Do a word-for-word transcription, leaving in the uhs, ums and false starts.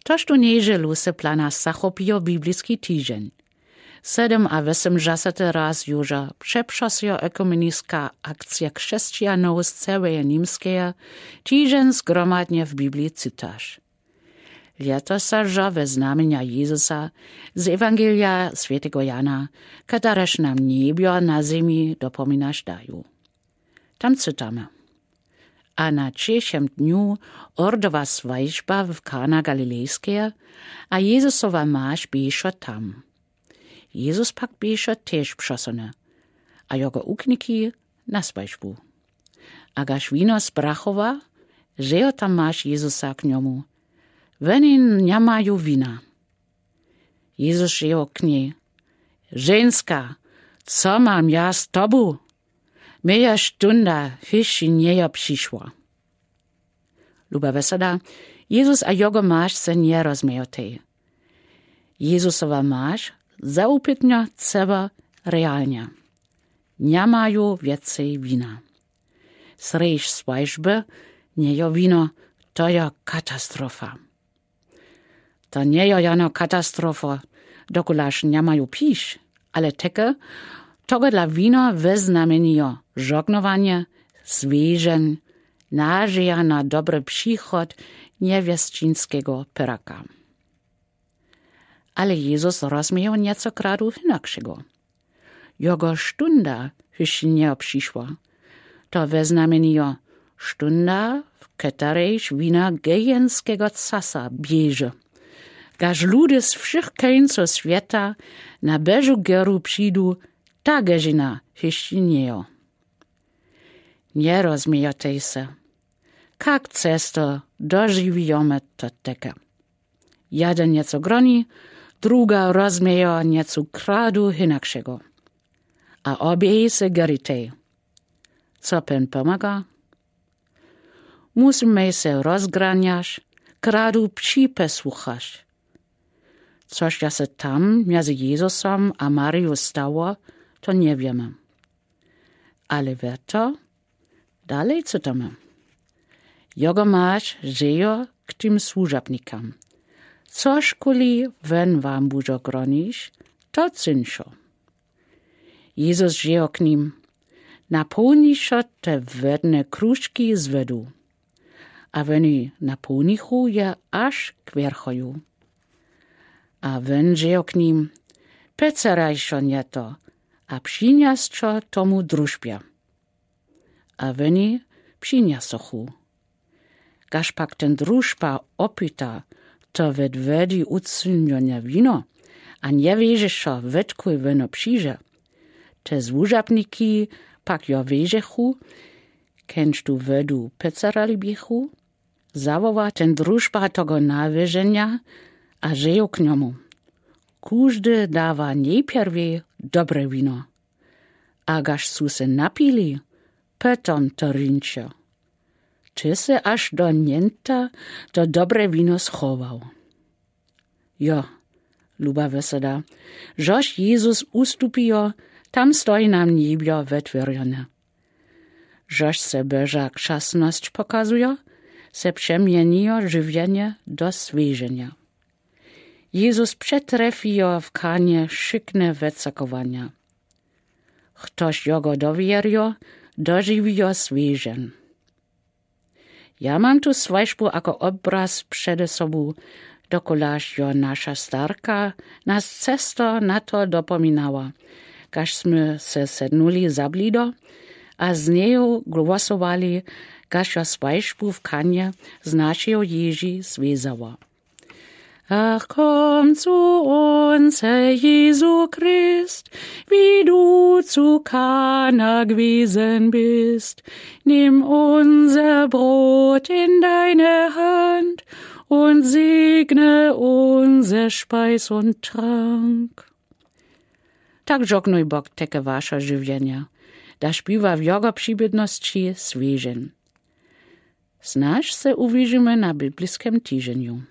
Toż tu nježe luse plana zachopijo bibliski tižeń. Sedem a wosomdźasaty raz južo přepřosyjo ekumeniska akcija křesćanow z cełeje Nimskeje tižeń zgromadnje w Bibliji cytaš. Lětosa žo we znamjenja Jezusa z Ewangelija swjateho Jana, kotrež nam njebjo na zemi dopominaš daju. Tam cytamy: A na třešem dnju Ordowa swajžba w Kana Galilejskeje, a Jezusowa maš běšo tam. Jezus pak běšo tež přosony, a jogo ukniki na swajžbu. A gaž wino sprachowa, rzejo ta maš Jezusa k njomu: Woni njamaju wina. Jezus rzejo k njej: Ženska, co mam ja z tobu? Mieja štunda hyšći njejo přišła. Luba wesada, Jezus a jogo maš se njerozmejotej. Jezusowa maš zaupitnjo ceba realnje. Njamaju wjecej wina. Srjedź swajžby njejo wino, to jo katastrofa. To njejo jano katastrofa, dokulaž njamaju pić, ale teke, togodla wino weznamjenjo žognowanje, swežeń, nažeja na dobry přichod njewjesćińskeho peraka. Ale Jezus rozmiejo njeco kradu hinakšego. Jogo štunda hyšći njejo přišła. To weznamjenjo štunda, w keterejž wina gejenskego casa běže. Gaž ludy z wšych kóncow swjeta na Božu geru přidu, ta gežina hyšći njejo. Njerozmejotej se, kak često dožiwijomy to teke. Jeden njeco groni, druga rozmiejo njeco kradu hinakšego. A oběhej se geritej. Co pen pomaga? Musimy se rozgranjaš, kradu připesuchaš. Což ja se tam mjezy Jezusom a Mariju stało, to njewjemy. Ale wjeto, dalej cytamy. Jogo maš rzejo k tim słužabnikam: Cožkuli wen wam budźo gronić, to cyńšo. Jezus rzejo k nim: Napołnišo te wodne kružki z wodu. A woni napołnichu je až k wjerchoju. A wen rzejo k nim: Pecarajšo nje to a přinjasćo tomu družbje. A woni přinjasochu. Gaž pak ten družba opita, to wot wody ucyńjone wino, a njewiješe, wotkud wino přińdźe, te słužabniki pak jo wijechu, kenž tu wodu pecarali běchu, zawoła ten družba tego nawijenja a rzejo k njomu: Kóżdy dawa njeprwej dobre wino, a gaž su se napili, potom to rińše. Ty sy až do njenta to dobre wino schował. Jo, luba wosada, žož Jezus ustupijo, tam stoji nam njebjo wotwěrjone. Žož se Boža křasnosć pokazujo, se přemjenijo žiwjenje do sweženja. Jezus přetrefijo w Kanje wšykne wocakowanja. Chtož jogo dowěrjo, dožiwijo swežen. Ja mam tu swajžbu ako obraz přede sobu, dokulaž jo naša starka nas često na to dopominała, kaž smy se sednuli za blido a z njeju głosowali, kaž jo swajžbu w Kanje z našeju ježi swězała. Ach, komm zu uns, Herr Jesu Christ, wie du zu Kana gewesen bist. Nimm unser Brot in deine Hand und segne unser Speis und Trank. Tak žognuj Bóg teke waše žiwjenje, daž biwa w jogo přibědnosći swežen. Znaž se uwižimy na bibliskem tiženju.